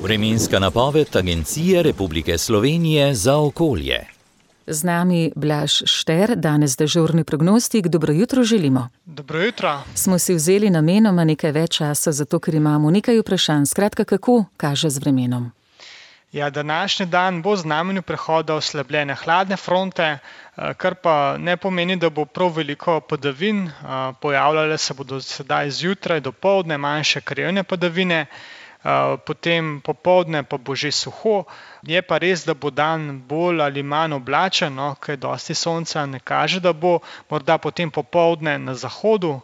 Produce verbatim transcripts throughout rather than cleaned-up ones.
Vremenska napoved Agencije Republike Slovenije za okolje. Z nami Blaž Šter, danes dežurni prognostik. Dobro jutro želimo. Dobro jutro. Smo si vzeli namenoma nekaj več časa, zato ker imamo nekaj vprašanj. Skratka, kako kaže z vremenom? Ja, današnji dan bo v znamenju prehoda oslabljene hladne fronte, kar pa ne pomeni, da bo prav veliko padavin. Pojavljale se bodo sedaj zjutraj, dopoldne manjše krajevne padavine, potem popoldne pa bo že suho. Je pa res, da bo dan bolj ali manj oblačen, no, ker dosti sonca ne kaže, da bo, morda potem popoldne na zahodu.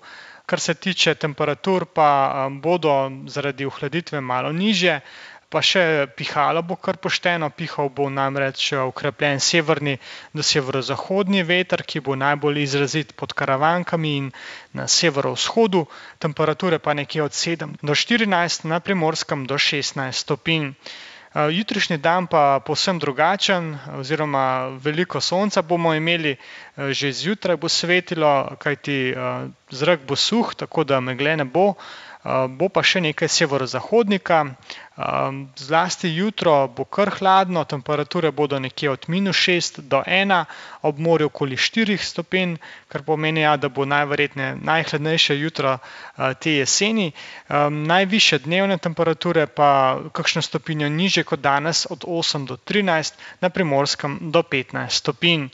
Kar se tiče temperatur, pa bodo zaradi ohladitve malo nižje. Pa še pihalo bo kar pošteno, pihal bo namreč okrepljen severni do severozahodni veter, ki bo najbolj izrazit pod Karavankami in na severovzhodu, temperature pa nekje od sedem do štirinajst, na Primorskem do šestnajst stopinj. Jutrišnji dan pa povsem drugačen, oziroma veliko sonca bomo imeli, že zjutraj bo svetilo, kajti zrak bo suh, tako da megle ne bo. Bo pa še nekaj severozahodnika, zlasti jutro bo kar hladno, temperature bodo nekje od minus šest do ena, ob morju okoli štirih stopinj, kar pomeni, ja, da bo najverjetneje najhladnejše jutro te jeseni. Najvišje dnevne temperature pa kakšno stopinjo nižje kot danes, od osem do trinajst, na Primorskem do petnajst stopinj.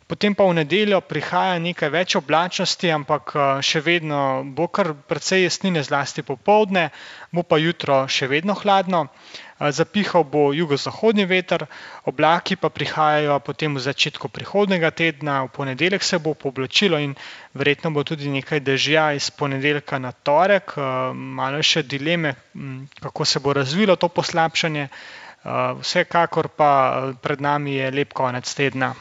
Potem pa v nedeljo prihaja nekaj več oblačnosti, ampak še vedno bo kar precej jesnine, zlasti popoldne, bo pa jutro še vedno hladno. Zapihal bo jugozahodni veter, oblaki pa prihajajo potem v začetku prihodnjega tedna, v ponedeljek se bo pooblačilo in verjetno bo tudi nekaj dežja iz ponedeljka na torek. Malo še dileme, kako se bo razvilo to poslabšanje, vsekakor pa pred nami je lep konec tedna.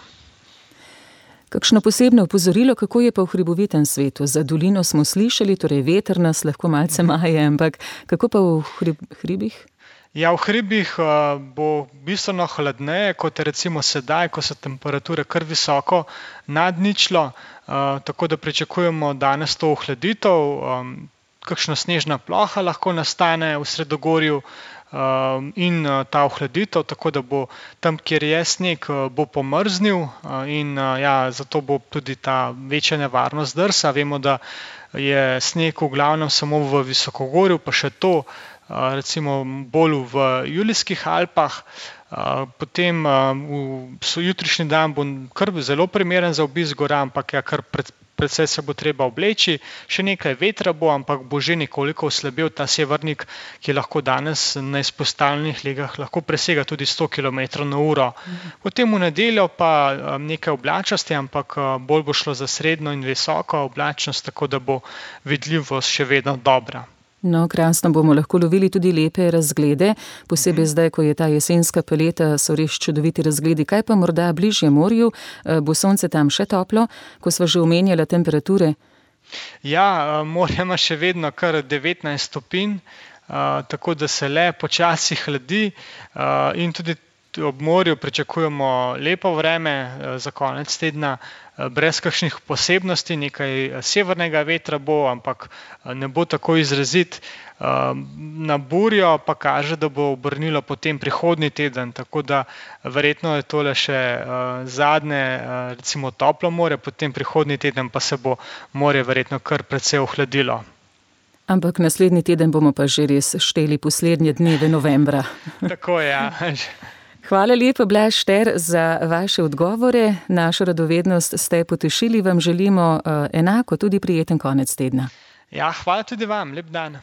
Kakšno posebno opozorilo, kako je pa v hribovitem svetu? Za dolino smo slišali, torej veter nas lahko malce maje, ampak kako pa v hrib, hribih? Ja, v hribih bo bistveno hladneje, kot je recimo sedaj, ko so temperature kar visoko nad ničlo, tako da pričakujemo danes to ohladitev. Kakšna snežna ploha lahko nastane v sredogorju in ta ohladitev, tako da bo tam, kjer je sneg, bo pomrznil in ja, zato bo tudi ta večja nevarnost drsa. Vemo, da je sneg v glavnem samo v visokogorju, pa še to recimo bolj v Julijskih Alpah. Potem jutrišnji dan bo kar zelo primeren za obisk gora, ampak ja, kar pred Predvsej se bo treba obleči, še nekaj vetra bo, ampak bo že nekoliko oslabel ta severnik, ki lahko danes na izpostavljenih legah lahko presega tudi sto kilometrov na uro. Potem v nedeljo pa nekaj oblačnosti, ampak bolj bo šlo za srednjo in visoko oblačnost, tako da bo vidljivost še vedno dobra. No, krasno bomo lahko lovili tudi lepe razglede, posebej zdaj, ko je ta jesenska paleta, so res čudoviti razgledi. Kaj pa morda bližje morju? Bo sonce tam še toplo, ko sva že omenjala temperature? Ja, morje ima še vedno kar devetnajst stopinj, tako da se le počasi hladi in tudi ob morju pričakujemo lepo vreme za konec tedna, brez kakšnih posebnosti, nekaj severnega vetra bo, ampak ne bo tako izrazit. Na burjo pa kaže, da bo obrnilo potem prihodnji teden, tako da verjetno je tole še zadnje, recimo toplo morje, potem prihodnji teden pa se bo morje verjetno kar precej ohladilo. Ampak naslednji teden bomo pa že res šteli poslednje dneve novembra. Tako je, ja. Hvala lepa, Blaž Šter, za vaše odgovore. Našo radovednost ste potešili, vam želimo enako tudi prijeten konec tedna. Ja, hvala tudi vam, lep dan.